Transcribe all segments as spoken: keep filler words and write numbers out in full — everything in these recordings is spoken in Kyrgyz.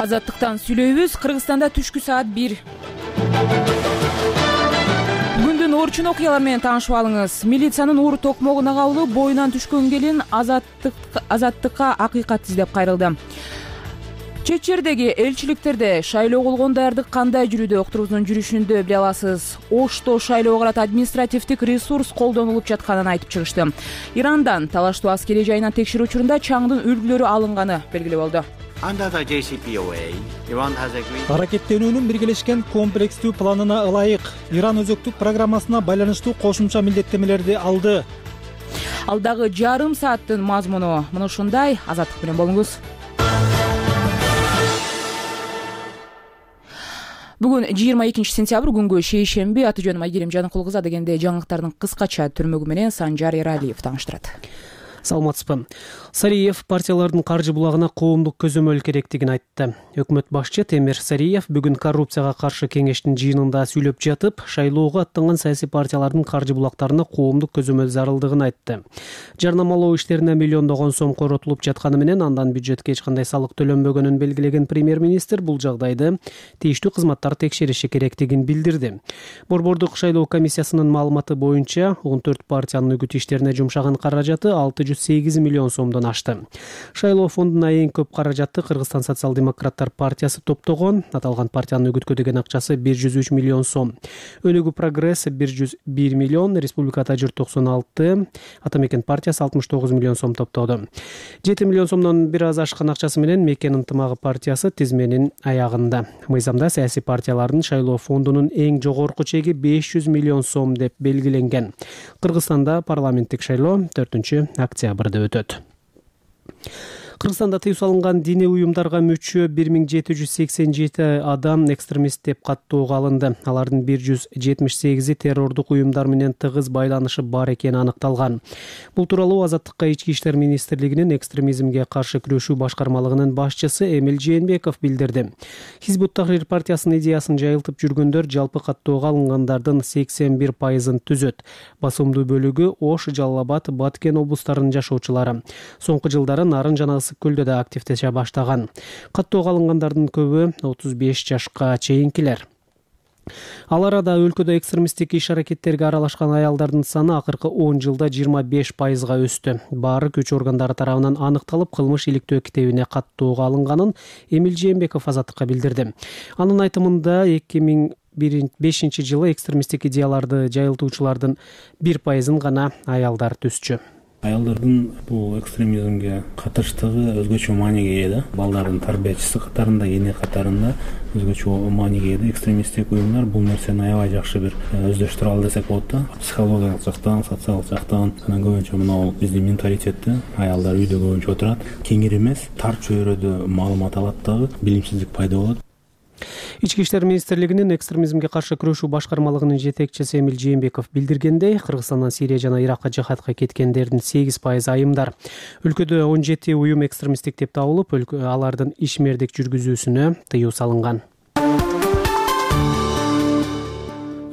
Азаттыктан сүйлөйбүз. Кыргызстанда түшкү саат бир. Бүгүндүн орчун окуялар менен таанышып алыңыз. Милициянын уур токмогуна кабылып, боюнан түшкөн келин азаттык азаттыкка акыйкат издеп кайрылды. Чет жердеги элчиликтерде шайлоо болгон даярдык кандай жүрүүдө уктурубуздун жүрүшүндө биле аласыз. Ошто шайлоого карата административдик ресурс колдонулуп жатканын айтып чыгышты. Ирандан талаштуу аскерий жайынан текшерүү учурунда чаңдын үлгүлөрү алынганы белгилүү болду. Аракеттенүүнүн биргелешкен комплекстүү планына ылайык Иран өзөктүк программасына байланыштуу кошумча милдеттемелерди алды. Алдагы жарым сааттын мазмуну мына ушундай. Азаттык менен болуңуз. Бүгүн жыйырма экинчи сентябрь, күнгө шейшемби. Аты жөнүм Айгерим Жаныкул кызы. Дегенде жаңылыктардын кыскача түрмөгү менен Санжар Эралиев тааныштырат. Саламатсызбы. Сариев партиялардын каржы булагына коомдук көзөмөл керектигин айтты. Өкмөт башчы Темир Сариев бүгүн коррупцияга каршы кеңештин жыйынында сүйлөп жатып, шайлоого аттанган саясий партиялардын каржы булактарына коомдук көзөмөл зарылдыгын айтты. Жарнамалоо иштерине миллиондогон сом коротулуп жатканы менен андан бюджетке эч кандай салык төлөнбөгөнүн белгилеген премьер-министр бул жагдайды тийиштүү кызматтар текшериши керектигин билдирди. Борбордук шайлоо комиссиясынын маалыматы боюнча он төрт партиянын үгүт иштерине жумшаган каражаты алты жүз сегиз миллион сомдон ашты. Шайлоо фондуна эң көп каражатты Кыргызстан социал-демократтар партиясы топтогон. Аталган партиянын үгүткө деген акчасы бир жүз үч миллион сом. Өнүгүү прогресс бир жүз бир миллион, Республикада жүз токсон алты, Ата мекен партиясы алтымыш тогуз миллион сом топтоду. жети миллион сомдон бир аз ашкан акчасы менен Мекен ынтымагы партиясы тизменин аягында. Мыйзамда саясий партиялардын шайлоо фондунун эң жогорку чеги беш жүз миллион сом деп белгиленген. Кыргызстанда парламенттик шайлоо төртүнчү октябрда өтөт. Кыргызстанда тыюу салынган диний уюмдарга мүчө бир миң жети жүз сексен жети адам экстремист деп каттоого алынды. Алардын бир жүз жетимиш сегизи террордук уюмдар менен тыгыз байланышы бар экени аныкталган. Бул тууралуу Азаттыкка Ички иштер министрлигинин экстремизмге каршы күрөшүү башкармалыгынын башчысы Эмил Жээнбеков билдирди. Хизбут Тахрир партиясынын идеясын жайылтып жүргөндөр жалпы каттоого алынгандардын сексен бир пайызын түзөт. Басымдуу бөлүгү Ош, Жалал Абад, Баткен облустарынын жашоочулары. Соңку жылдары Нарын жана Көлдө да активдеше баштаган. Каттоого алынгандардын көбү отуз беш жашка чейинкилер. Ал арада өлкөдө экстремисттик иш-аракеттерге аралашкан аялдардын саны акыркы он жылда жыйырма беш пайызга өстү. Баары күч органдары тарабынан аныкталып, кылмыш иликтөө китебине каттоого алынганын Эмил Жээнбеков Азаттыкка билдирди. Анын айтымында эки миң бешинчи жылы экстремисттик идеяларды жайылтуучулардын бир пайызын гана аялдар түзчү. Аялдардын бул экстремизмге катыштыгы өзгөчө мааниге ээ да. Балдардын тарбиячысы катарында, эне катарында өзгөчө мааниге ээ. Экстремисттик уюмдар бул нерсени аябай жакшы бир өздөштүрө алды десек болот да. Психологиялык жактан, социалдык жактан, анан көбүнчө мына биздин менталитетте аялдар үйдө көбүнчө отурат. Кеңир эмес, тар чөйрөдө маалымат алат дагы, билимсиздик пайда болот. Ички иштер министрлигинин экстремизмге каршы күрөшүү башкармалыгынын жетекчиси Эмил Жээнбеков билдиргендей, Кыргызстандан Сирия жана Иракка жихадка кеткендердин сегиз пайызы айымдар. Өлкөдө он жети уюм экстремисттик деп табылып, алардын ишмердик жүргүзүүсүнө тыюу салынган.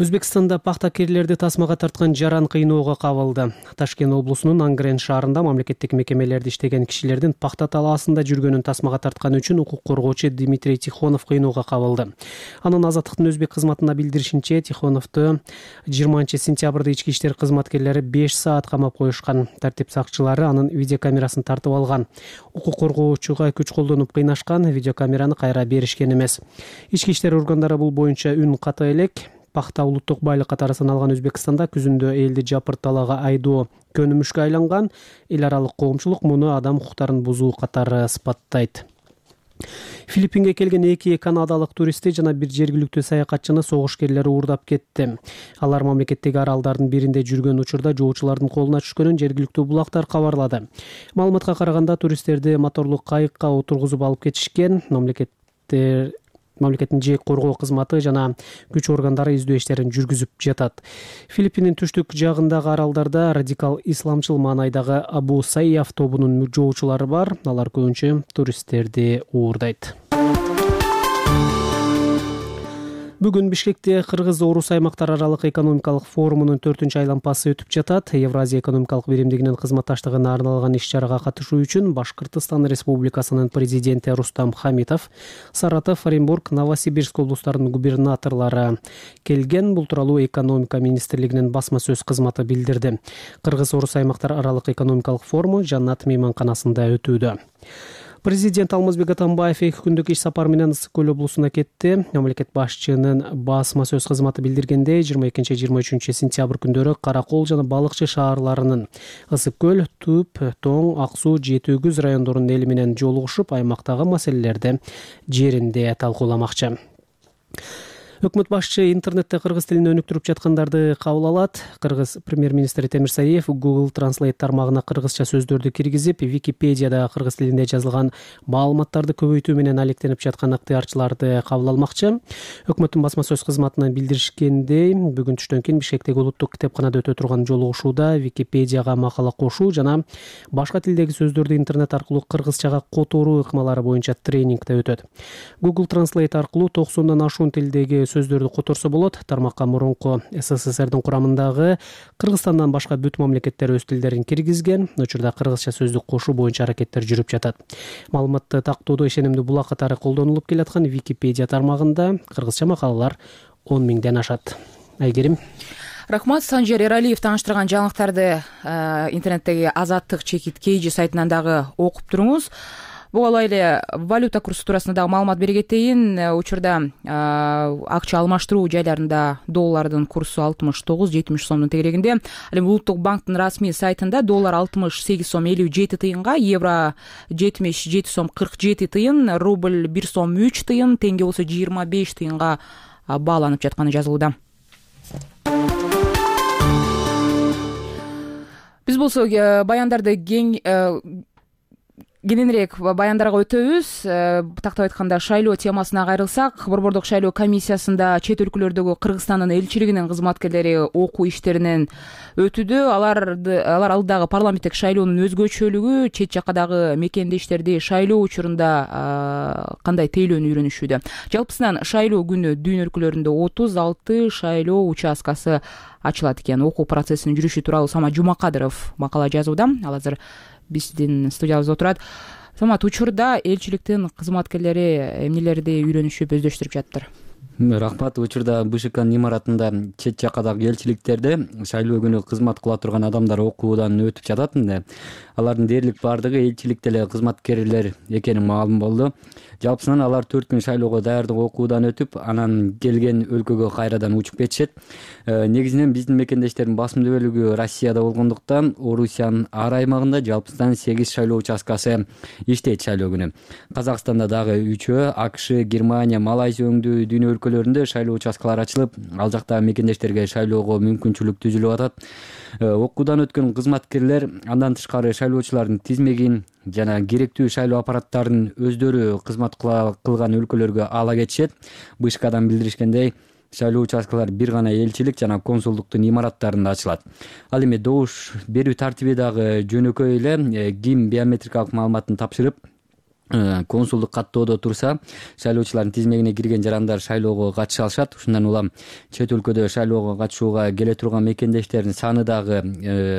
Өзбекстанда пахтакерлерди тасмага тарткан жаран кыйноого кабылды. Ташкент облусунун Ангрен шаарында мамлекеттик мекемелерде иштеген кишилердин пахта талаасында жүргөнүн тасмага тарткан үчүн укук коргоочу Дмитрий Тихонов кыйноого кабылды. Анын Азаттыктын өзбек кызматына билдиришинче, Тихоновду жыйырманчы сентябрда ички иштер кызматкерлери беш саат камап коюшкан. Тартип сакчылары анын видеокамерасын тартып алган. Укук коргоочуга күч колдонуп кыйнашкан, видеокамераны кайра беришкен эмес. Ички иштер органдары бул боюнча үн ката элек. Пахта улуттук байлык катары саналган Өзбекстанда күзүндө элди жапыр талаага айдоо көнүмүшкө айланган. Эл аралык коомчулук муну адам укуктарын бузуу катары сыпаттайт. Филиппинге келген эки канадалык туристти жана бир жергиликтүү саякатчыны согушкерлери уурдап кетти. Алар мамлекеттеги аралдардын биринде жүргөн учурда жоочулардын колуна түшкөнүн жергиликтүү булактар кабарлады. Маалыматка караганда туристтерди моторлуу кайыкка отургузуп алып кетишкен. Мамлекеттер Мамлекеттин жеек коргоо кызматы жана күч органдары издөө иштерин жүргүзүп жатат. Филиппиндин түштүк жагындагы аралдарда радикал исламчыл маанайдагы Абу Сайяф тобунун жоочулары бар. Алар көбүнчө туристтерди уурдайт. Бүгүн Бишкекте Кыргыз-Орус аймактар аралык экономикалык форумунун төртүнчү айланпасы өтүп жатат. Евразия экономикалык биримдигинин кызматташтыгына арналган иш-чарага катышуу үчүн Башкыртстан Республикасынын президенти Рустам Хамитов, Саратов, Оренбург, Новосибирск облустарынын губернаторлору келген. Бул тууралуу экономика министрлигинин басма сөз кызматы билдирди. Кыргыз-Орус аймактар аралык экономикалык форуму Жаннат мейманканасында өтүүдө. Президент Алмазбек Атамбаев эки күндүк иш сапары менен Ысык көл облусуна кетти. Мамлекет башчынын басма сөз кызматы билдиргендей, жыйырма экинчи жыйырма үчүнчү сентябрь күндөрү Кара Кол жана Балыкчы шаарларынын Ысык көл, Түп, Тоң, Ак суу, Жети Өгүз райондорунун эли менен жолугушуп, аймактагы маселелерди жеринде талкууламакчы. Өкмөт башчы интернетте кыргыз тилин өнүктүрүп жаткандарды кабыл алат. Кыргыз премьер-министри Темир Сариев Google Translate тармагына кыргызча сөздөрдү киргизип, Википедияда кыргыз тилинде жазылган маалыматтарды көбөйтүү менен алектенип жаткан ыктыярчыларды кабыл алмакчы. Өкмөттүн басма сөз кызматынан билдиришкендей, бүгүн түштөн кийин Бишкектеги улуттук китепканада өтө турган жолугушууда Википедияга макала кошуу жана башка тилдеги сөздөрдү интернет аркылуу кыргызчага которуу ыкмалары боюнча тренинг да өтөт. Google Translate аркылуу токсондон ашуун тилдеги сөздөрдү которсо болот. Тармакка мурунку СССРдин курамындагы Кыргызстандан башка бүт мамлекеттер өз тилдерин киргизген. Учурда кыргызча сөздүк кошуу боюнча аракеттер жүрүп жатат. Маалыматты тактоодо ишенимдүү булак катары колдонулуп келаткан Википедия тармагында кыргызча макалалар он миңден ашат. Айгерим. Рахмат. Санжер Эралиев тааныштырган жаңылыктарды интернеттеги Азаттык чекит Кейжи сайтынан дагы окуп туруңуз. Буга эле валюта курсу туурасында дагы маалымат бере кетейин. Учурда акча алмаштыруу жайларында доллардын курсу алтымыш тогуз жетимиш сомдун тегерегинде. Ал эми Улуттук банктын расмий сайтында доллар алтымыш сегиз сом элүү жети тыйынга, евро жетимиш жети сом кырк жети тыйын, рубль бир сом үч тыйын, теңге болсо жыйырма беш тыйынга бааланып жатканы жазылууда. Биз болсо баяндарды кең кененирээк баяндарга өтөбүз. Тактап айтканда, шайлоо темасына кайрылсак, Борбордук шайлоо комиссиясында чет өлкөлөрдөгү Кыргызстандын элчилигинин кызматкерлери окуу иштеринен өтүүдө. Аларды алар алдагы парламенттик шайлоонун өзгөчөлүгү, чет жаккадагы мекендештерди шайлоо учурунда кандай тейлөөнү үйрөнүшүүдө. Жалпысынан шайлоо күнү дүйнө өлкөлөрүндө отуз алты шайлоо участкасы ачылат экен. Окуу процессинин жүрүшү тууралуу Самат Жумакадыров макала жазууда. Ал азыр биздин студиябызда отурат. Самат, учурда элчиликтин кызматкерлери эмнелерди үйрөнүшүп өздөштүрүп жатыптыр? Рахмат. Учурда БШКнын имаратында чет жаккадагы элчиликтерде шайлоо күнү кызмат кыла турган адамдар окуудан өтүп жатат. Алардын дээрлик бардыгы элчиликте эле кызматкерлер экени маалым болду. Жалпысынан алар төрт күн шайлоого даярдык окуудан өтүп, анан келген өлкөгө кайрадан учуп кетишет. Негизинен биздин мекендештердин басымдуу бөлүгү Россияда болгондуктан, Орусиянын ар аймагында жалпысынан сегиз шайлоо участкасы иштейт шайлоо күнү. Казакстанда дагы үчөө, АКШ, Германия, Малайзия өңдүү дүйнө өлкөлөрүндө шайлоо участкалары ачылып, ал жактагы мекендештерге шайлоого мүмкүнчүлүк түзүлүп атат. Окуудан өткөн кызматкерлер андан тышкары шайлоочулардын тизмегин жана керектүү шайлоо аппараттарын өздөрү кызмат кылган өлкөлөргө ала кетишет. БШКдан билдиришкендей, шайлоо участкалары бир гана элчилик жана консулдуктун имараттарында ачылат. Ал эми добуш берүү тартиби дагы жөнөкөй эле. Ким биометрикалык маалыматын тапшырып, консулдук каттоодо турса, шайлоочулардын тизмегине кирген жарандар шайлоого катыша алышат. Ушундан улам чет өлкөдө шайлоого катышууга келе турган мекендештердин саны дагы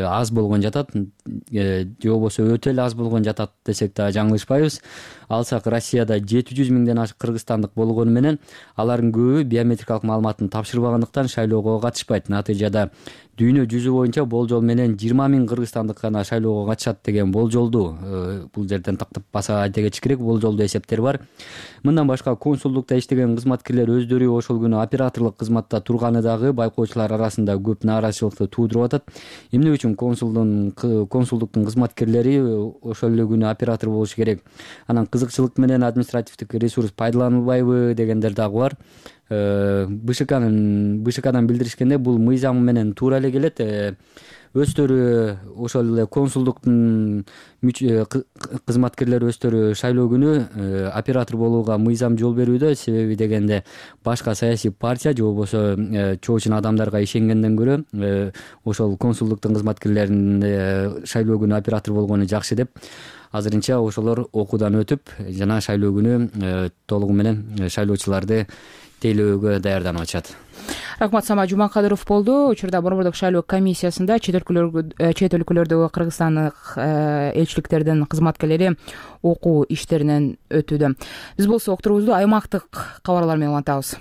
аз болгон жатат. Же болбосо өтө эле аз болгон жатат десек да жаңылышпайбыз. Алсак, Россияда жети жүз миңден ашык кыргызстандык болгону менен алардын көбү биометрикалык маалыматын тапшырбагандыктан шайлоого катышпайт. Натыйжада дүйнө жүзү боюнча болжол менен жыйырма миң кыргызстандык гана шайлоого катышат деген болжолду бул жерден тактап баса айта кетиш керек. Болжолдуу эсептер бар. Мындан башка консулдукта иштеген кызматкерлер өздөрү ошол күнү операторлук кызматта турганы дагы байкоочулар арасында көп нааразычылыкты туудуруп атат. Эмне үчүн консулдун консулдуктун кызматкерлери ошол эле күнү оператор болушу керек? Анан кызыкчылык менен административдик ресурс пайдаланылбайбы дегендер дагы бар. БШКнын БШКдан билдиришкенде, бул мыйзам менен туура эле келет. Өздөрү ошол эле консулдуктун кызматкерлери өздөрү шайлоо күнү оператор болууга мыйзам жол берүүдө. Себеби дегенде, башка саясий партия же болбосо чоочун адамдарга ишенгенден көрө ошол консулдуктун кызматкерлеринин шайлоо күнү оператор болгону жакшы деп. азырынча ошолор окуудан өтүп жана шайлоо күнү толугу менен шайлоочуларды тейлөөгө даярданып атышат. Рахмат, Самат Жумакадыров болду. Учурда Борбордук шайлоо комиссиясында чет өлкөлөрдө чет өлкөлөрдөгү кыргызстандык элчиликтердин кызматкерлери окуу иштеринен өтүүдө. Биз болсо окутурубузду аймактык кабарлар менен улантабыз.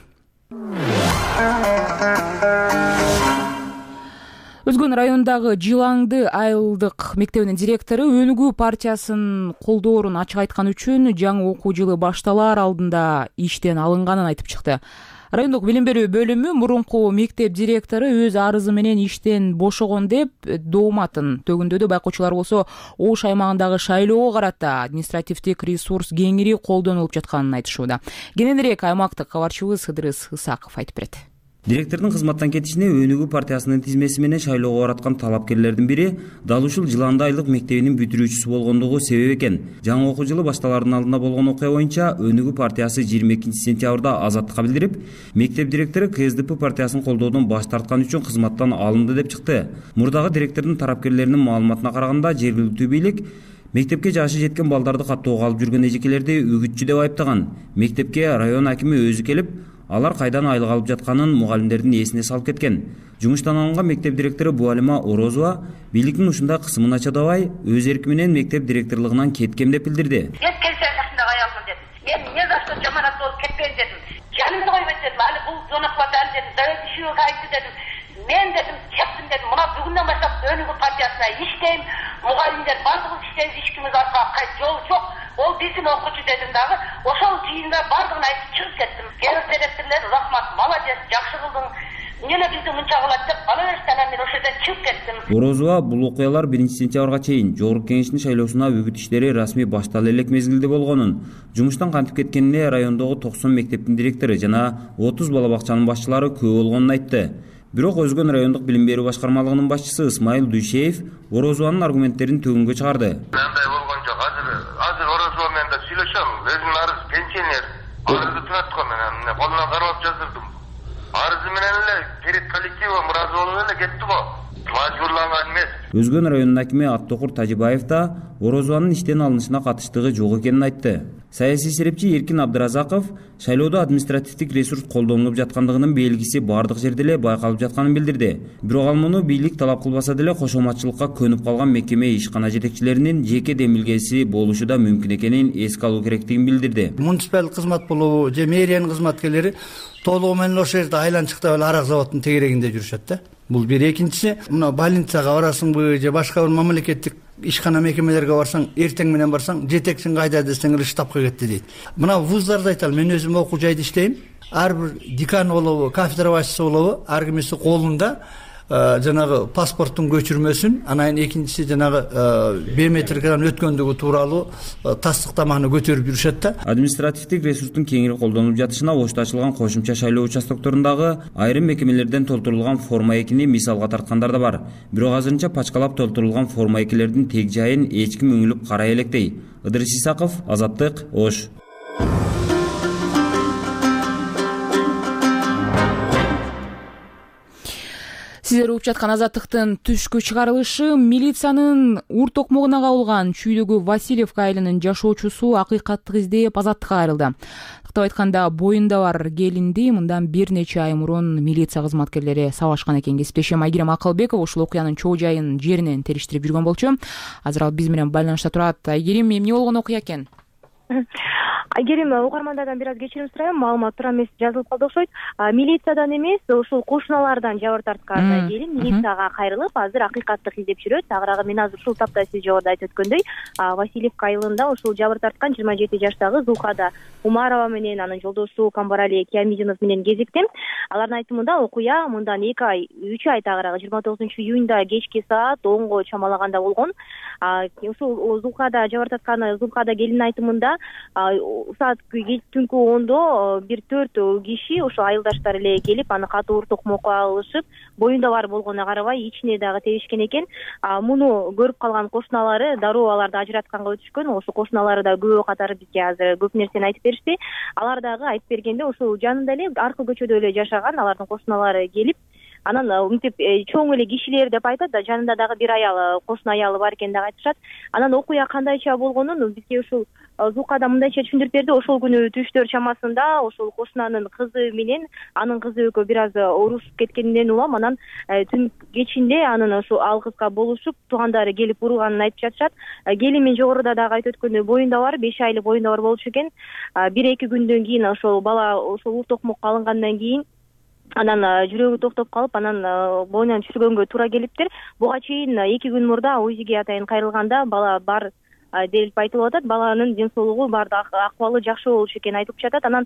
Өзгөн районундагы Жылаңды айылдык мектебинин директору Өнүгүү партиясын колдоорун ачык айткан үчүн жаңы окуу жылы башталаар алдында иштен алынганын айтып чыкты. Райондук билим берүү бөлүмү мурунку мектеп директору өз арызы менен иштен бошогон деп дооматын төгүндөдө. Байкоочулар болсо ош аймагындагы шайлоого карата административдик ресурс кеңири колдонулуп жатканын айтышууда. Кененирээк аймактык кабарчыбыз Ыдырыс Ысаков айтып берет. Директордун кызматтан кетишине Өнүгүү партиясынын тизмеси менен шайлоого бараткан талапкерлердин бири дал ушул Жыланды айылдык мектебинин бүтүрүүчүсү болгондугу себеп экен. Жаңы окуу жылы башталаардын алдында болгон окуя боюнча Өнүгүү партиясы жыйырма экинчи сентябрда Азаттыкка билдирип, мектеп директору КСДП партиясын колдоодон баш тарткан үчүн кызматтан алынды деп чыкты. Мурдагы директордун тарапкерлеринин маалыматына караганда, жергиликтүү бийлик мектепке жашы жеткен балдарды каттоого алып жүргөн эжекелерди үгүтчү деп айыптаган. Мектепке район акими өзү келип, алар кайдан айлык алып жатканын мугалимдердин эсине салып кеткен. Жумуштан алынган мектеп директору Буалима Орозова бийликтин ушундай кысымына чыдабай, өз эрки менен мектеп директорлугунан кеткем деп билдирди. Мен келсем жакшынак аялмын дедим. Мен эмне за что жаманат болуп кетпейин дедим. Жанымды койбойт дедим. Аны бул зонокпат аны дедим. Давайте ишиге кайтты дедим. Мен дедим, чектим дедим. Мына бүгүндөн баштап Өнүгүү партиясына иштейм. Мугалимдер бардыгыбыз иштейбиз, эч аркага жол жок. Ол биздин окуучу дедим дагы. Ошол жыйында бардыгын айтып чыгып кеттим. Келип директорлор рахмат, молодец, жакшы кылдың. Эмне бизди мынча кылат деп алаштан мен ошо жерден чыгып кеттим. Орозова бул окуялар биринчи сентябрга чейин Жогорку Кеңештин шайлоосуна үгүт иштери расмий баштала элек мезгилде болгонун, жумуштан кантип кеткенине райондогу токсон мектептин директору жана отуз бала бакчанын башчылары күбө болгонун айтты. Бирок Өзгөн райондук билим берүү башкармалыгынын башчысы Исмайыл Дүйшеев Орозованын аргументтерин төгүнгө чыгарды. Мындай болгон жок. Азыр азыр Орозова менен да сүйлөшөм. Өзүм арыз пенсионер. Арызды түнөткөн менен колунан карап жаздырдым. Арызы менен эле перед коллективом ыраазы болуп эле кетти го. Мажбурланган эмес. Өзгөн районунун акими Аттокур Тажибаев да Орозованын иштен алынышына катыштыгы жок экенин айтты. Саясий серепчи Эркин Абдыразаков шайлоодо административдик ресурс колдонулуп жаткандыгынын белгиси бардык жерде эле байкалып жатканын билдирди. Бирок ал муну бийлик талап кылбаса деле кошоматчылыкка көнүп калган мекеме ишкана жетекчилеринин жеке демилгеси болушу да мүмкүн экенин эске алуу керектигин билдирди. Муниципалдык кызмат болобу же мэриянын кызматкерлери толугу менен ошол жерде айланчыкта эле арак заводунун тегерегинде жүрүшөт да. Бул бир. Экинчиси, мына больницага барасыңбы же башка бир мамлекеттик ишкана мекемелерге барсаң, эртең менен барсаң, жетекчиң кайда десең эле штабка кетти дейт. Мына вузларда айталым, мен өзүм окуу жайда иштейм. Ар бир декан болобу, кафедра башчысы болобу, ар кимиси колунда жанагы паспорттун көчүрмөсүн, анан экинчиси жанагы биометрикадан өткөндүгү тууралуу тастыктаманы көтөрүп жүрүшөт да. Административдик ресурстун кеңири колдонулуп жатышына Ошто ачылган кошумча шайлоо участокторундагы айрым мекемелерден толтурулган форма экини мисалга тарткандар да бар. Бирок азырынча пачкалап толтурулган форма экилердин тег жайын эч ким үңүлүп карай электей. Ыдырыс Исаков, Азаттык, Ош. Сиздер угуп жаткан Азаттыктын түшкү чыгарылышы. Милициянын ур токмогуна кабылган Чүйдөгү Васильевка айылынын жашоочусу акыйкаттык издеп Азаттыкка кайрылды. Кытып айтканда, боюнда бар келинди мындан бир нече ай мурун милиция кызматкерлери сабашкан экен. Кесиптешим Айгерим Акылбеков ушул окуянын чоо жайын жеринен териштирип жүргөн болчу. Азыр ал биз менен байланышта турат. Айгерим, эмне болгон окуя экен? Айгерим, угармандардан бир аз кечирим сурайм, маалымат туура эмес жазылып калды окшойт. Милициядан эмес, ушул кошуналардан жабыр тарткан келин милицияга кайрылып, азыр акыйкаттык издеп жүрөт. Агыраагы мен азыр ушул тапта сиз жогоруда айтып өткөндөй, Васильевка айылында ушул жабыр тарткан жыйырма жети жаштагы Зулхада Умарова менен анын жолдошу Камбарали Киямидинов менен кезиктим. Алардын айтымында окуя мындан эки ай, үч ай тагыраагы жыйырма тогузунчу июнда кечки саат онго чамалаганда болгон. Ушул Зулхада жабыр тарткан Зулхада келиндин айтымында саат түнкү ондо бир төрт киши ошо айылдаштар эле келип, аны катуу ур токмокко алышып, боюнда бар болгонуна карабай ичине дагы тебишкен экен. Муну көрүп калган кошуналары дароо аларды ажыратканга өтүшкөн. Ошо кошуналары да күбө катары бизге азыр көп нерсени айтып беришти. Алар дагы айтып бергенде ушул жанында эле аркы көчөдө эле жашаган алардын кошуналары келип, анан мынтип чоң эле кишилер деп айтат да, жанында дагы бир аял, кошуна аялы бар экен деп айтышат. Анан окуя кандайча болгонун бизге ушул Зукада мындайча түшүндүрүп берди. Ошол күнү түштөр чамасында ошол кошунанын кызы менен анын кызы экөө бир аз урушуп кеткенинен улам, анан түн кечинде анын ошо ал кызга болушуп, туугандары келип урганын айтып жатышат. Келин мен жогоруда дагы айтып өткөндөй боюнда бар, беш айлык боюнда бар болчу экен. бир эки күндөн кийин ошол бала ошол ур токмокко алынгандан кийин анан жүрөгү токтоп калып, анан боюнан түшүргөнгө туура келиптир. Буга чейин эки күн мурда УЗИге атайын кайрылганда бала бар делип айтылып атат. Баланын ден соолугу бар, акыбалы жакшы болчу экени айтылып жатат. Анан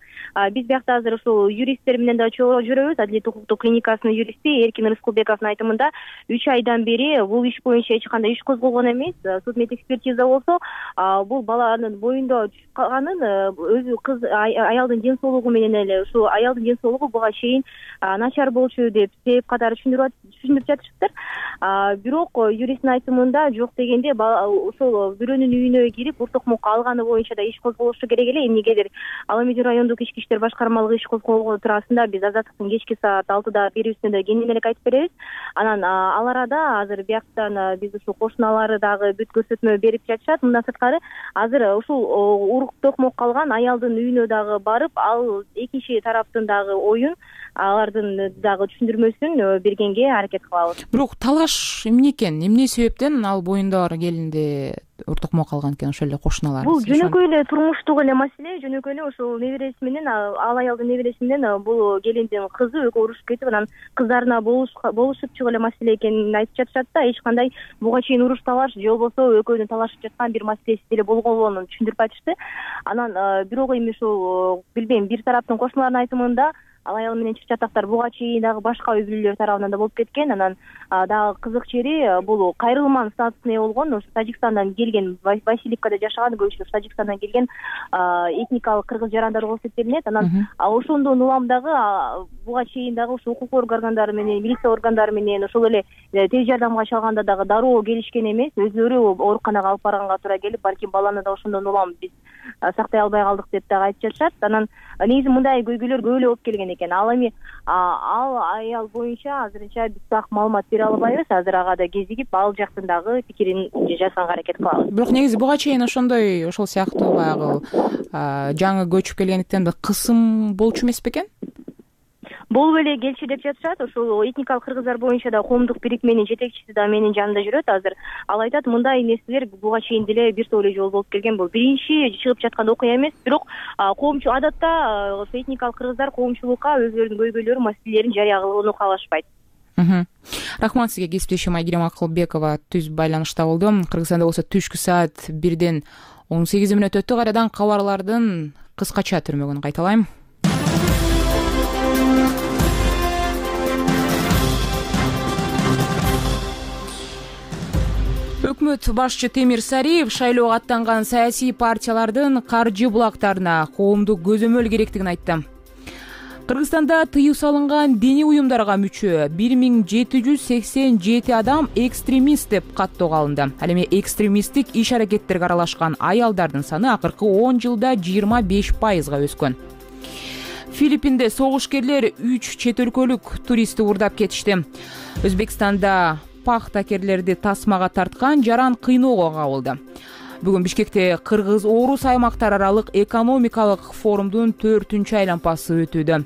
биз биякта азыр ушул юристтер менен да чогуу жүрөбүз. Адилет укуктук клиникасынын юристи Эркин Рыскылбековдун айтымында үч айдан бери бул иш боюнча эч кандай иш козголгон эмес. Судмед экспертиза болсо, бул баланын боюнда түшүп калганын өзү кыз аялдын ден соолугу менен эле, ушул аялдын ден соолугу буга чейин начар болчу деп себеп катары түшүндүрүп жатышыптыр. Бирок юристтин айтымында жок дегенде ошол бирөөнүн үйүнө кирип ур токмокко алганы боюнча да иш козголушу керек эле. Эмнегедир Ала Медеу райондук ички иштер башкармалыгы иш козголгон туурасында биз Азаттыктын кечки саат алтыда берүүсүндө да кеңири элек айтып беребиз. Анан ал арада азыр бияктан биз ушул кошуналары дагы бүт көрсөтмө берип жатышат. Мындан сырткары азыр ушул ур токмокко алган аялдын үйүнө дагы барып, ал экинчи тараптын дагы оюн, алардын дагы түшүндүрмөсүн бергенге аракет кылабыз. Бирок талаш эмне экен? Эмне себептен ал боюнда бар келинди ур токмокко алган экен ошол эле кошуналар? Бул жөнөкөй эле турмуштук эле маселе. Жөнөкөй эле ошол небереси менен, ал аялдын небереси менен бул келиндин кызы экөө урушуп кетип, анан кыздарына болушуп чыгуу эле маселе экенин айтып жатышат да. Эч кандай буга чейин уруш талаш же болбосо экөөнүн талашып жаткан бир маселеси деле болгонун түшүндүрүп айтышты. Анан бирок эми ушул билбейм, бир тараптын кошуналарынын айтымында ал аял менен чык чатактар буга чейин дагы башка үй бүлөлөр тарабынан да болуп кеткен. Анан дагы кызык жери, бул кайрылман статусуна ээ болгон, ошо Тажикстандан келген, Васильевкада жашаган, көбүнчө Тажикстандан келген этникалык кыргыз жарандар болуп эсептелинет. Анан ошондон улам дагы буга чейин дагы ошо укук органдары менен, милиция органдары менен, ошол эле тез жардамга чалганда дагы дароо келишкен эмес. Өзүлөрү ооруканага алып барганга туура келип, балким баланы да ошондон улам биз сактай албай калдык деп дагы айтып жатышат. Анан негизи мындай көйгөйлөр көп эле болуп келген экен. Ал эми ал аял боюнча азырынча биз так маалымат бере албайбыз. Азыр ага да кезигип, ал жактын дагы пикирин жазганга аракет кылабыз. Бирок негизи буга чейин ошондой, ошол сыяктуу баягы жаңы көчүп келгендиктен кысым болчу эмес бекен? Болуп эле келчү деп жатышат. Ошол этникалык кыргыздар боюнча да коомдук бирикменин жетекчиси да менин жанымда жүрөт азыр. Ал айтат, мындай нерселер буга чейин деле бир топ эле жолу болуп келген. Бул биринчи чыгып жаткан окуя эмес. Бирок коомчу адатта ошо этникалык кыргыздар коомчулукка өзүлөрүнүн көйгөйлөрүн, маселелерин жарыя кылууну каалашпайт. Рахмат сизге. Кесиптешим Айгерим Акылбекова түз байланышта болду. Кыргызстанда болсо түшкү саат бирден он сегиз мүнөт өттү. Кайрадан кабарлардын кыскача түрмөгүн кайталайм. Өкмөт башчы Темир Сариев шайлоого аттанган саясий партиялардын каржы булактарына коомдук көзөмөл керектигин айтты. Кыргызстанда тыюу салынган диний уюмдарга мүчө бир миң жети жүз сексен жети адам экстремист деп каттоого алынды. Ал эми экстремисттик иш-аракеттерге аралашкан аялдардын саны акыркы он жылда жыйырма беш пайызга өскөн. Филиппинде согушкерлер үч чет өлкөлүк туристти уурдап кетишти. Өзбекстанда пахтакерлерди тасмага тарткан жаран кыйноого кабылды. Бүгүн Бишкекте кыргыз-орус аймактар аралык экономикалык форумдун төртүнчү айланпасы өтүүдө.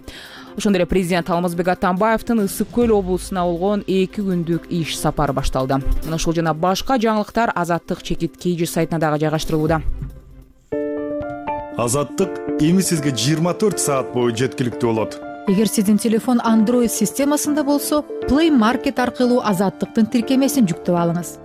Ошондой эле президент Алмазбек Атамбаевдин Ысык көл облусуна болгон эки күндүк иш сапары башталды. Мына ушул жана башка жаңылыктар Азаттык чекит Кж сайтына дагы жайгаштырылууда. Азаттык эми сизге жыйырма төрт саат бою жеткиликтүү болот. Эгер сиздин телефон Android системасында болсо, Play Market аркылуу Азаттыктын тиркемесин жүктөп алыңыз.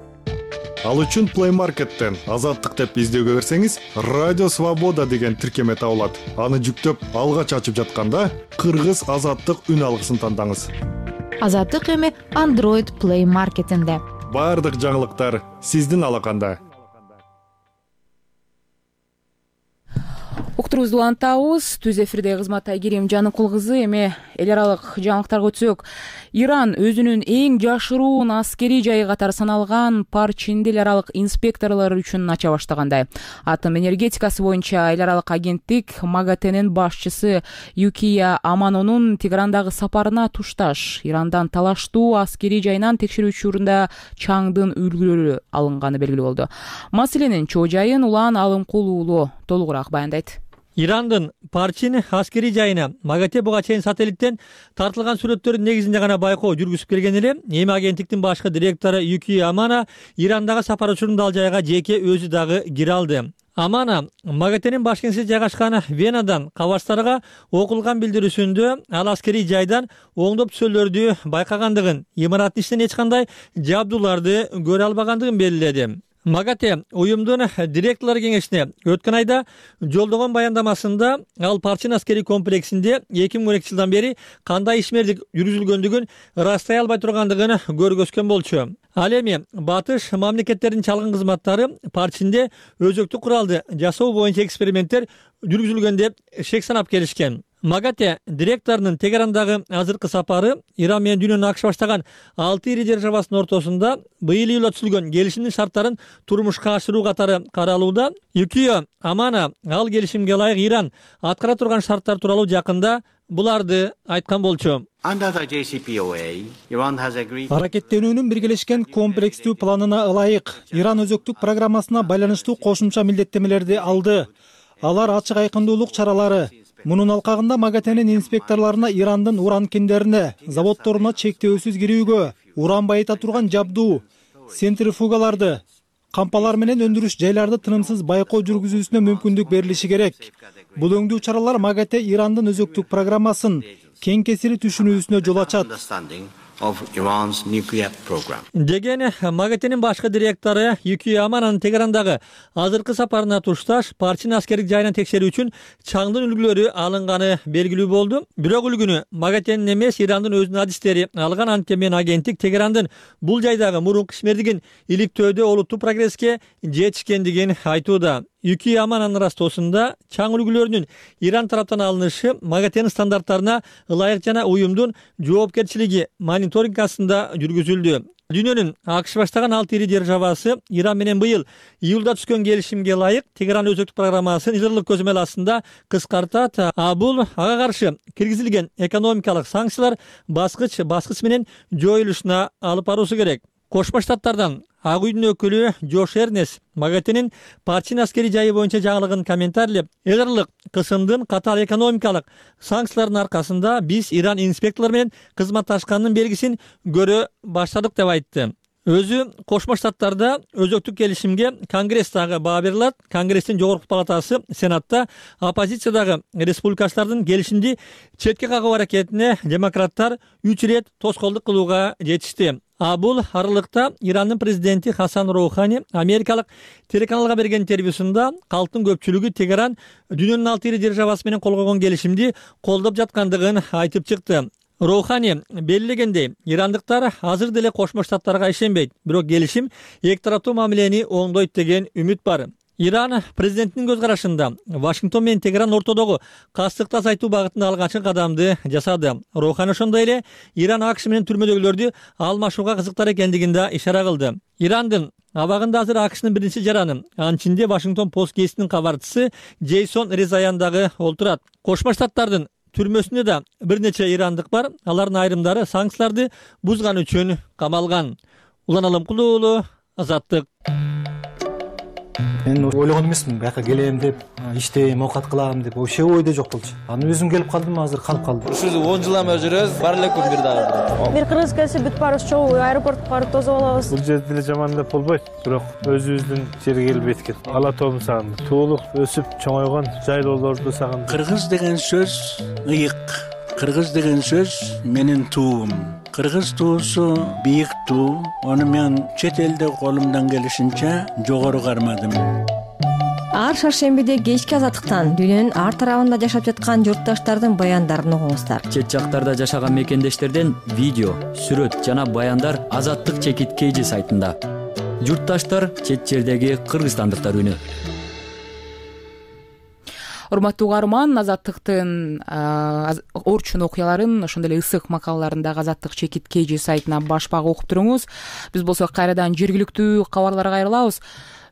Ал үчүн Play Market'тен Азаттык деп издөөгө кирсеңиз, Радио Свобода деген тиркеме табылат. Аны жүктөп, алгач ачып жатканда Кыргыз Азаттык үн алгысын тандаңыз. Азаттык эми Android Play Market'инде. Бардык жаңылыктар сиздин алаканда. уктуруубузду улантабыз. Түз эфирде кызмат Айгерим Жаныкул кызы. Эми эл аралык жаңылыктарга өтсөк, Иран өзүнүн эң жашыруун аскерий жайы катары саналган Парчинди эл аралык инспекторлор үчүн ача баштагандай. Атом энергетикасы боюнча эл аралык агенттик МАГАТЭнин башчысы Юкия Аманонун Тегерандагы сапарына тушташ Ирандан талаштуу аскерий жайынан текшерүү учурунда чаңдын үлгүлөрү алынганы белгилүү болду. Маселенин чоо жайын Улан Алымкул уулу толугураак баяндайт. Ирандын Парчин аскерий жайына МАГАТЭ буга чейин сателлиттен тартылган сүрөттөрдүн негизинде гана байкоо жүргүзүп келген эле. Эми агенттиктин башкы директору Юкия Амана Ирандагы сапар учурунда ал жайга жеке өзү дагы кире алды. Амана МАГАТЭнин баш кеңсеси жайгашкан Венадан кабарчтарга окулган билдирүүсүндө ал аскерий жайдан оңдоп түсөлөрдү байкагандыгын, имараттын ичинен эч кандай жабдууларды көрө албагандыгын белгиледи. МАГАТЭ уюмдун директорлор кеңешине өткөн айда жолдогон баяндамасында ал Парчин аскерий комплексинде эки миң он экинчи жылдан бери кандай ишмердик жүргүзүлгөндүгүн ырастай албай тургандыгын көргөзгөн болчу. Ал эми батыш мамлекеттердин чалгын кызматтары Парчинде өзөктүк куралды жасоо боюнча эксперименттер жүргүзүлгөн деп шек санап келишкен. МАГАТЭ директорунун Тегерандагы азыркы сапары Иран менен дүйнөнүн акш баштаган алты ири державасынын ортосунда быйыл июлда түзүлгөн келишимдин шарттарын турмушка ашыруу катары каралууда. Юкио Амана ал келишимге ылайык Иран аткара турган шарттар тууралуу жакында буларды айткан болчу. Аракеттенүүнүн биргелешкен комплекстүү планына ылайык Иран өзөктүк программасына байланыштуу кошумча милдеттемелерди алды. Алар ачык айкындуулук чаралары. Мунун алкагында МАГАТЭнин инспекторлоруна Ирандын уран кендерине, заводдоруна чектөөсүз кирүүгө, уран байыта турган жабдуу, центрифугаларды, кампалар менен өндүрүш жайларды тынымсыз байкоо жүргүзүүсүнө мүмкүндүк берилиши керек. Бул өңдүү чаралар МАГАТЭ Ирандын өзөктүк программасын кең кесири түшүнүүсүнө жол ачат деген МАГАТЭнин башкы директору Юкия Амананын Тегерандагы азыркы сапарына тушташ Парчин аскердик жайынан текшерүү үчүн чаңдын үлгүлөрү алынганы белгилүү болду. Бирок үлгүнү МАГАТЭнин эмес Ирандын өзүнүн адистери алган. Анткени агенттик Тегерандын бул жайдагы мурунку ишмердигин иликтөөдө олуттуу прогресске жетишкендигин айтууда. Юкия Амананын ырастоосунда чаң үлгүлөрүнүн Иран тараптан алынышы МАГАТЭнин стандарттарына ылайык жана уюмдун жоопкерчилиги мониторинг астында жүргүзүлдү. Дүйнөнүн акш баштаган алты ири державасы Иран менен быйыл июлда түзгөн келишимге ылайык Тегеран өзөктүк программасын изырлык көзөмөл астында кыскартат. А бул ага каршы киргизилген экономикалык санкциялар баскыч баскыч менен жоюлушуна алып баруусу керек. Кошмо Штаттардан Ак үйдүн өкүлү Джош Эрнес МАГАТЭнин Парчин аскерий жайы боюнча жаңылыгын комментарийлеп, эл аралык кысымдын катаал экономикалык санкциялардын аркасында биз Иран инспекторлор менен кызматташкандын белгисин көрө баштадык деп айтты. Өзү Кошмо Штаттарда өзөктүк келишимге Конгресстагы баа берилат. Конгресстин жогорку палатасы Сенатта оппозициядагы республикачылардын келишимди четке кагуу аракетине демократтар үч ирет тоскоолдук кылууга жетишти. А бул аралыкта Ирандын президенти Хасан Роухани америкалык телеканалга берген интервьюсунда калктын көпчүлүгү Тегеран дүйнөнүн алты ири державасы менен кол койгон келишимди колдоп жаткандыгын айтып чыкты. Роухани белгилегендей, ирандыктар азыр деле Кошмо Штаттарга ишенбейт, бирок келишим эки тараптуу мамилени оңдойт деген үмүт бар. Иран президентинин көз карашында Вашингтон менен Тегеран ортодогу кастыкты азайтуу багытында алгачкы кадамды жасады. Роухани ошондой эле Иран акш менен түрмөдөгүлөрдү алмашууга кызыктар экендигин да ишара кылды. Ирандын абагында азыр акштын биринчи жараны, анын ичинде Вашингтон Пост гезитинин кабарчысы Джейсон Резаян дагы олтурат. Кошмо Штаттардын түрмөсүндө да бир нече ирандык бар. Алардын айрымдары санкцияларды бузган үчүн камалган. Улан Алымкул уулу, Азаттык. Мен ойлогон эмесмин бияка келем деп, иштейм, оокат кылам деп, вообще ойдо жок болчу. Аны өзүм келип калдым, азыр калып калдым. Ушул он жылдан бери жүрөбүз, бар эле күн бир дагы. Бир кыргыз келсе бүт баарыбыз чогуу аэропортко барып тосуп алабыз. Бул жерде деле жаман деп болбойт, бирок өзүбүздүн жерге келип эткен. Ала тоом сагындым. Туулук өсүп чоңойгон жайлоолорду сагындым. Кыргыз деген сөз ыйык. Кыргыз деген сөз менин туум. Кыргыз туусу бийик туу. Аны мен чет элде колумдан келишинче жогору кармадым. Ар шаршембиде кечки азаттыктан дүйнөнүн ар тарабында жашап жаткан журтташтардын баяндарын угуңуздар. Чет жактарда жашаган мекендештерден видео, сүрөт жана баяндар Азаттык чекит кей жи сайтында. Журтташтар чет жердеги кыргызстандыктар үнү. урматтуу угарман, Азаттыктын орчун окуяларын, ошондой эле ысык макалаларын дагы Азаттык чекит kg сайтына башпак окуп туруңуз. Биз болсо кайрадан жергиликтүү кабарларга кайрылабыз.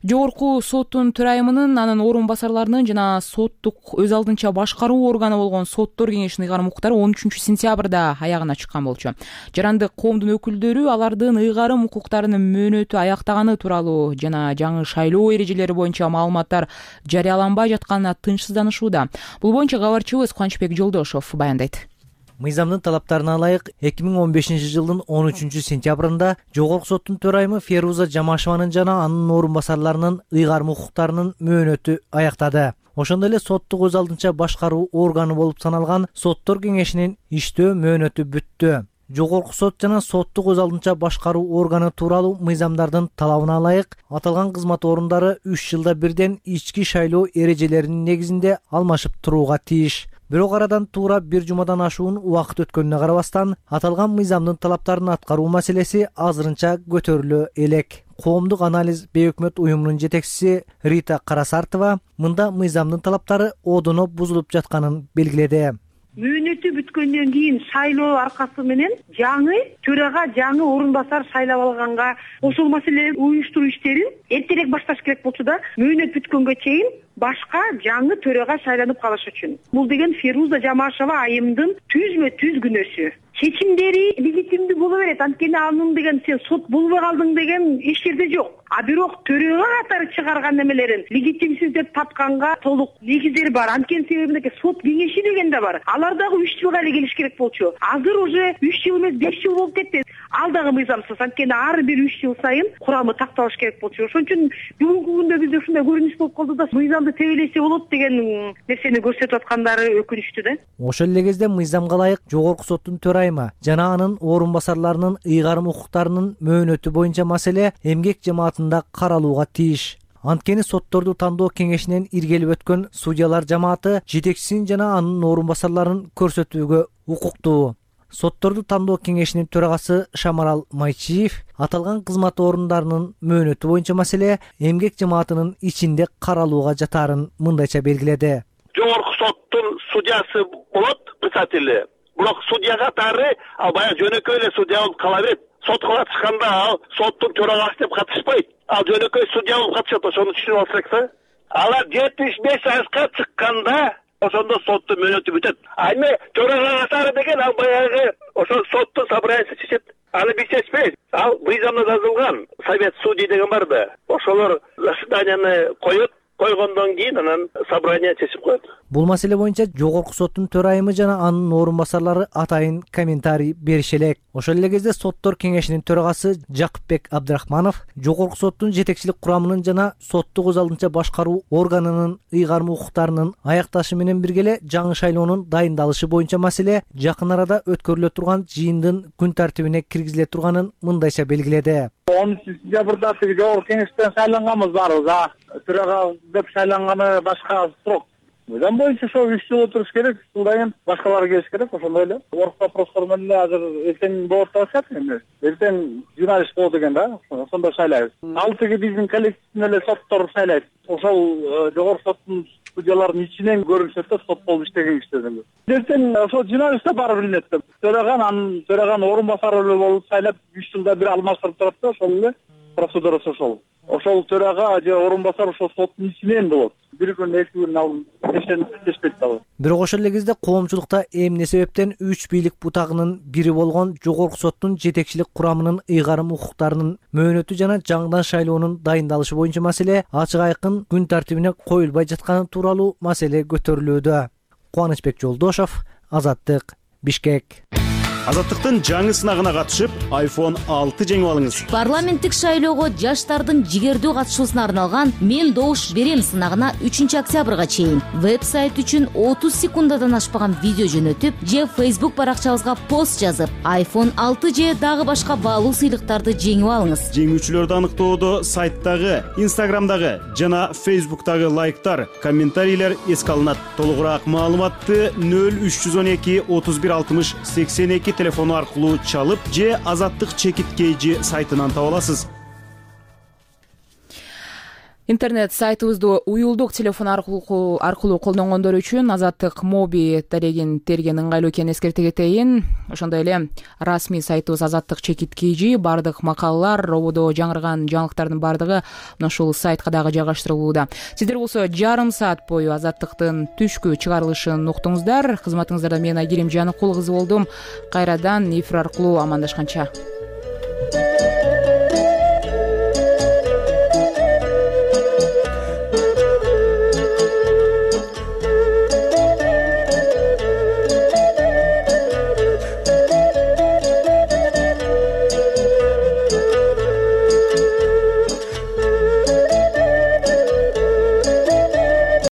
Жогорку соттун төрайымынын, анын орун басарларынын жана соттук өз алдынча башкаруу органы болгон соттор кеңешинин ыйгарым укуктары он үчүнчү сентябрда аягына чыккан болчу. Жарандык коомдун өкүлдөрү алардын ыйгарым укуктарынын мөөнөтү аяктаганы тууралуу жана жаңы шайлоо эрежелери боюнча маалыматтар жарыяланбай жатканына тынчсызданышууда. Бул боюнча кабарчыбыз Кубанычбек Жолдошов баяндайт. Мыйзамдын талаптарына ылайык эки миң он бешинчи жылдын он үчүнчү сентябрында Жогорку соттун төрайымы Феруза Жамашеванын жана анын орун басарларынын ыйгарым укуктарынын мөөнөтү аяктады. Ошондой эле соттук өз алдынча башкаруу органы болуп саналган соттор кеңешинин иштөө мөөнөтү бүттү. Жогорку сот жана соттук өз алдынча башкаруу органы тууралуу мыйзамдардын талабына ылайык аталган кызмат орундары үч жылда бирден ички шайлоо эрежелеринин негизинде алмашып турууга тийиш. Бирок арадан туура бир жумадан ашуун убакыт өткөнүнө карабастан аталган мыйзамдын талаптарын аткаруу маселеси азырынча көтөрүлө элек. Коомдук анализ бейөкмөт уюмунун жетекчиси Рита Карасартова мында мыйзамдын талаптары одоно бузулуп жатканын белгиледи. Мөөнөтү бүткөндөн кийин шайлоо аркасы менен жаңы төрага жаңы орун басар шайлап алганга ошол маселени уюштуруу иштерин эртерээк башташ керек болчу да, мөөнөт бүткөнгө чейин башка жаңы төрага шайланып калыш үчүн. Бул деген Феруза Жамашева айымдын түзмө түз күнөөсү. Чечимдери легитимдүү боло берет, анткени анын деген сен сот болбой калдың деген эч жерде жок. А бирок төрөгө катары чыгарган немелерин легитимсиз деп тапканга толук негиздери бар. Анткени себебинде сот кеңеши деген да бар. Алар дагы үч жылга эле келиш керек болчу. Азыр уже үч жыл эмес беш жыл болуп кетти. Ал дагы мыйзамсыз, анткени ар бир үч жыл сайын курамы такталыш керек болчу. Ошон үчүн бүгүнкү күндө бизде ушундай көрүнүш болуп калды да, мыйзамды тебелесе болот деген нерсени көрсөтүп аткандары өкүнүчтүү да. Ошол эле кезде мыйзамга ылайык Жогорку соттун төрайымы жана анын орун басарларынын ыйгарым укуктарынын мөөнөтү боюнча маселе эмгек жамаатында каралууга тийиш. Анткени сотторду тандоо кеңешинен иргелип өткөн судьялар жамааты жетекчисин жана анын орун басарларын көрсөтүүгө укуктуу. Сотторду тандоо кеңешинин төрагасы Шамарал Майчиев аталган кызмат орундарынын мөөнөтү боюнча маселе эмгек жамаатынын ичинде каралууга жатаарын мындайча белгиледи. Жогорку соттун судьясы болот, председатели. Бирок судья катары ал баягы жөнөкөй эле судья болуп кала берет. Сотко катышканда ал соттун төрагасы деп катышпайт. Ал жөнөкөй судья болуп катышат, ошону түшүнүп алсак керек да. Алар жетимиш беш жашка чыкканда ошондо соттун мөөнөтү бүтөт. А эми төрага катары деген ал баягы ошол соттун собраниясы чечет. Аны биз чечпейбиз. Ал мыйзамда жазылган совет судей деген бар да. Ошолор заседанияны коет. Койгондон кийин анан собрание чечип коет. Бул маселе боюнча Жогорку соттун төрайымы жана анын орун басарлары атайын комментарий бериши элек. Ошол эле кезде соттор кеңешинин төрагасы Жакыпбек Абдрахманов Жогорку соттун жетекчилик курамынын жана соттук өз алдынча башкаруу органынын ыйгарым укуктарынын аякташы менен бирге эле жаңы шайлоонун дайындалышы боюнча маселе жакын арада өткөрүлө турган жыйындын күн тартибине киргизиле турганын мындайча белгиледи. он үчүнчү сентябрда тиги жогорку кеңештен шайланганбыз баарыбыз, а төрага деп шайланганы башка срок. Мыйзам боюнча ошо үч жыл отуруш керек, жылдан кийин башкалар келиш керек, ошондой эле. Орус вопростор менен азыр эртең болот деп атышат эми. Эртең журналист болот экен да, ошондо шайлайбыз. Ал тиги биздин коллективден эле соттор шайлайт. Ошол жогорку соттун судьялардын ичинен көрүнүшөт да, сот болуп иштеген кишилерден. Эртең ошо журналистте баары билинет да. Төраган анын төраган орун басары болуп шайлап үч жылда бир алмаштырып турат да, ошол эле процедурасы ошол. Ошол төрага же орун басар ошол соттун ичинен болот. Бир күн эки күн ал кечпейт дагы. Бирок ошол эле кезде коомчулукта эмне себептен үч бийлик бутагынын бири болгон Жогорку соттун жетекчилик курамынын ыйгарым укуктарынын мөөнөтү жана жаңыдан шайлоонун дайындалышы боюнча маселе ачык айкын күн тартибине коюлбай жатканы тууралуу маселе көтөрүлүүдө. Кубанычбек Жолдошов, Азаттык, Бишкек. Азаттыктын жаңы сынагына катышып, айфон алты жеңип алыңыз. Парламенттик шайлоого жаштардын жигердүү катышуусуна арналган «Мен добуш берем» сынагына үчүнчү октябрга чейин веб-сайт үчүн отуз секундадан ашпаган видео жөнөтүп же Facebook баракчабызга пост жазып, айфон алты же дагы башка баалуу сыйлыктарды жеңип алыңыз. Жеңүүчүлөрдү аныктоодо сайттагы, Instagramдагы жана Facebook'тагы лайктар, комментарийлер эске алынат. Толугураак маалыматты нөл үч жүз он эки отуз бир алтымыш сексен эки телефону аркылуу чалып же Азаттык чекит kg сайтынан таба аласыз. интернет сайтыбызды уюлдук телефон аркылуу аркылуу колдонгондор үчүн Азаттык моби дарегин терген ыңгайлуу экенин эскерте кетейин. Ошондой эле расмий сайтыбыз Азаттык чекит kg, бардык макалалар, рободо жаңырган жаңылыктардын бардыгы ушул сайтка дагы жайгаштырылууда. Сиздер болсо жарым саат бою Азаттыктын түшкү чыгарылышын уктуңуздар. Кызматыңыздарда мен Айгерим Жаныкул кызы болдум. Кайрадан эфир аркылуу амандашканча.